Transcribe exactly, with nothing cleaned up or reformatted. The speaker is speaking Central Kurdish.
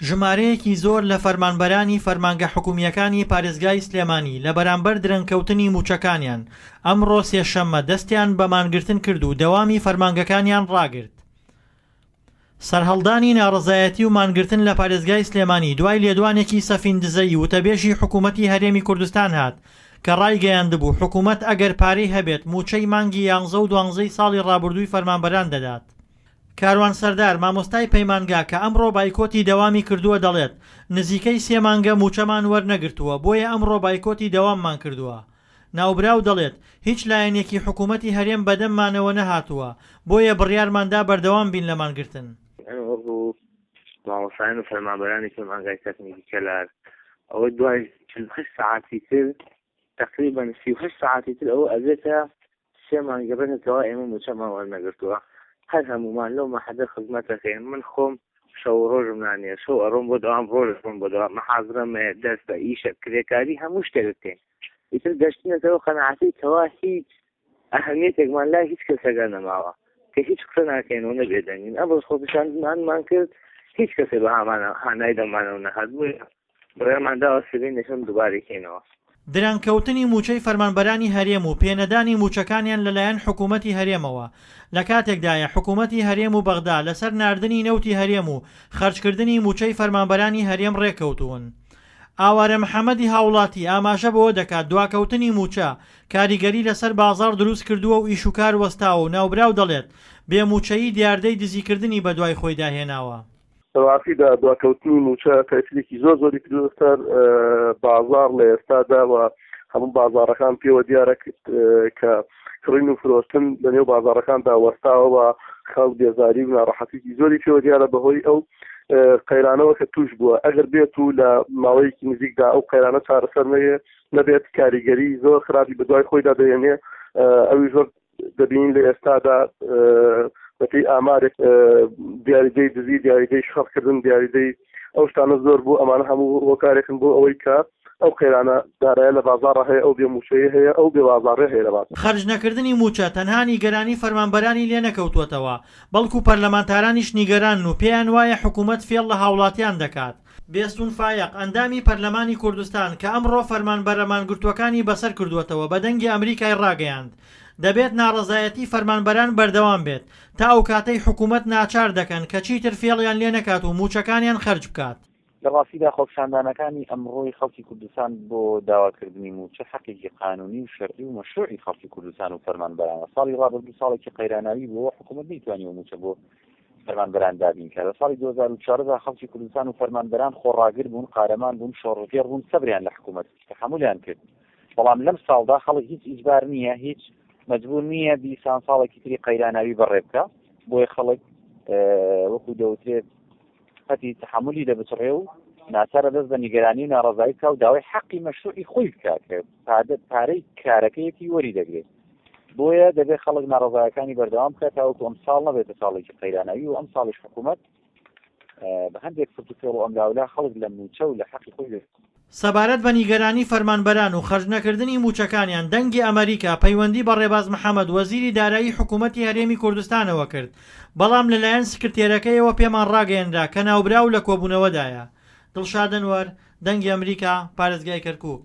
ژمارەیەکی زۆر لە فەرمانبەرانی فەرمانگە حکومییەکانی پارێزگای سلێمانی لە بەرامبەر درەنگکەوتنی مووچەکانیان، ئەمڕۆ سێشەممە دەستیان بە مانگرتن کرد و دەوامی فەرمانگەکانیان ڕاگرت. سەرهەڵدانی ناڕەزایەتی و مانگرتن لە پارێزگای سلێمانی دوای لێدوانێکی سەفین دزەیی وتەبێژی حکوومەتی هەرێمی کوردستان هات کە ڕایگەیاندبوو حکوومەت ئەگەر پارەی هەبێت مووچەی مانگی یانزە و دوانزەی ساڵی ڕابردووی فەرمانبەران دەدات. کاروان سەردار مامۆستای پەیمانگا کە ئەمڕۆ بایکۆتی دەوامی کردووە دەڵێت نزیکەی سێ مانگە مووچەمان وەرنەگرتووە بۆیە ئەمڕۆ بایکۆتی دەواممان کردووە. ناوبراو دەڵێت هیچ لایەنێکی حکوومەتی هەرێم بەدەممانەوە نەهاتووە بۆیە بڕیارماندا بەردەوام بین لە مانگرتن. ئێمە مامۆستایان و فەرمانبەرانی پەیمانگای تەکنیکی کەلار ئەوە دوای چل و هەشت سەعاتی تر تقریبا سی و هەشت سەعاتی تر ئەوە ئەبێتە سێ مانگە بێتەوە ئێمە مووچەمان وەرنەگرتووە. هەر هەمومان لەو مەحەدە خزمەتەکەین. من خۆم شەو ڕۆژم نانیە، شەو ئەڕۆم بۆ دەوام، ڕۆژ ئەڕۆم بۆ دەوام، محازرەم هەیە، دەست بە ئیشە، کرێکاری، هەموو شتێک بکەین. ئیتر گەشتنەتەوە قەناعەتی کەوا هیچ ئەهەمیەتێکمان لای هیچ کەسێکا نەماوە کە هیچ قسە ناکەین و نەبێدەنگین. ئەمڕۆ خۆپیشاندانمان کرد، هیچ کەسێ بە هانای دەمانەوە نەهات، بۆیە بڕیارمان داوە سبەی نەکەم دووبارەی کەینەوە. درەنگکەوتنی مووچەی فەرمانبەرانی هەرێم و پێنەدانی مووچەکانیان لەلایەن حکوومەتی هەرێمەوە لە کاتێکدایە حکوومەتی هەرێم و بەغدا لەسەر ناردنی نەوتی هەرێم و خەرجکردنی مووچەی فەرمانبەرانی هەرێم ڕێککەوتوون. ئاوارە محەممەدی هاوڵاتی ئاماژە بەوە دەکات دواکەوتنی مووچە کاریگەری لەسەر بازاڕ دروست کردووە و ئیشوکار وەستاوە و ناوبراو دەڵێت بێ مووچەیی دیاردەی دزیکردنی بەدوای خۆیدا هێناوە. ڕاستیدا دواکەوتنی مووچە تەئسیرێکی زۆر زۆری کردووە سەر بازاڕ لە ئێستادا و هەموو بازاڕەکان پێوە دیارە کە کڕین و فرۆشتن لەنێو بازاڕەکاندا وەستاوە و خەڵک بێزاری و ناڕەحەتێکی زۆری پێوە دیارە بەهۆی ئەو قەیرانەوە کە توش بووە. ئەگەر بێت و لە ماوەیەکی نزیکدا ئەو قەیرانە چارەسەر نەبێت کاریگەری زۆر خراپی بەدوای خۆیدا دەهێنێ. ئەوی زۆر دەبینین لە ئێستادا بەپێی ئامارێک دیاریدەی دزی، دیاریدەی شەڕکردن، دیاریدەی ئەو شتانە زۆر بوو. ئەمانە هەموو هۆکارێکن بۆ ئەوەی کە ئەو قەیرانە دارایە لە بازاڕە هەیە، ئەو بێموچەیە هەیە، ئەو بێبازاڕێ هەیە لە بازاڕ. خەرج نەکردنی مووچە تەنها نیگەرانی فەرمانبەرانی لێ نەکەوتووەتەوە، بەڵکو پەرلەمانتارانیش نیگەرانن و پێیان وایە حکوومەت فێڵ لە هاوڵاتیان دەکات. بێستون فایەق ئەندامی پەرلەمانی کوردستان کە ئەمڕۆ فەرمانبەرە مانگرتووەکانی بەسەر کردووەتەوە بە دەنگی ئەمریکای ڕاگەیاند دەبێت ناڕەزایەتی فەرمانبەران بەردەوام بێت تا ئەو کاتەی حکوومەت ناچار دەکەن کە چیتر فێڵیان لێ نەکات و مووچەکانیان خەرج بکات. لە ڕاستیدا خۆپیشاندانەکانی ئەمڕۆی خەڵکی کوردستان بۆ داواکردنی مووچە حەقێکی قانونی و شەرعی و مەشروعی خەڵکی کوردستان و فەرمانبەرانە. ساڵی ڕابردوو ساڵێکی قەیراناوی بووە، حکوومەت نەیتوانیوە مووچە بۆ فەرمانبەران دابین کات. لە ساڵی دوو هەزار و چواردە خەڵکی کوردستان و فەرمانبەران خۆڕاگر بوون، قارەمان بوون، شۆڕشگێڕ بوون، سەبریان لە حکوومەت تەحەمولیان کرد. بەڵام لەم ساڵدا خەڵک هیچ ئیجبار نییە، هیچ مەجبور نییە دیسان ساڵێکی تری قەیراناوی بەڕێ بکە. بۆیە خەڵک وەکو دەوترێت پەتی تەحەمولی دەبچڕێ و ناچارە دەست بە نیگەرانی و ناڕەزایی بکا و داوای حەقی مەشروعی خۆی بکا کە پارەی کارەکەیەتی وەری دەگرێت. بۆیە دەبێت خەڵک ناڕەزایەکانی بەردەوام بکات تاوەکو ئەم ساڵ نەبێتە ساڵێکی قەیراناوی و ئەم ساڵیش حکوومەت بە هەندێک فرت و فێڵ و ئەملاولا خەڵک لە مووچە و لە حەقی خۆی بێت. سەبارەت بە نیگەرانی فەرمانبەران و خەرجنەکردنی مووچەکانیان، دەنگی ئەمریکا پەیوەندی بە ڕێباز محەمەد وەزیری دارایی حکوومەتی هەرێمی کوردستانەوە کرد، بەڵام لەلایەن سکرتێرەکەیەوە پێمان ڕاگەیەنرا کە ناوبراو لە کۆبوونەوەدایە. دڵشاد ئەنوەر، دەنگی ئەمریکا، پارێزگای کەرکووک.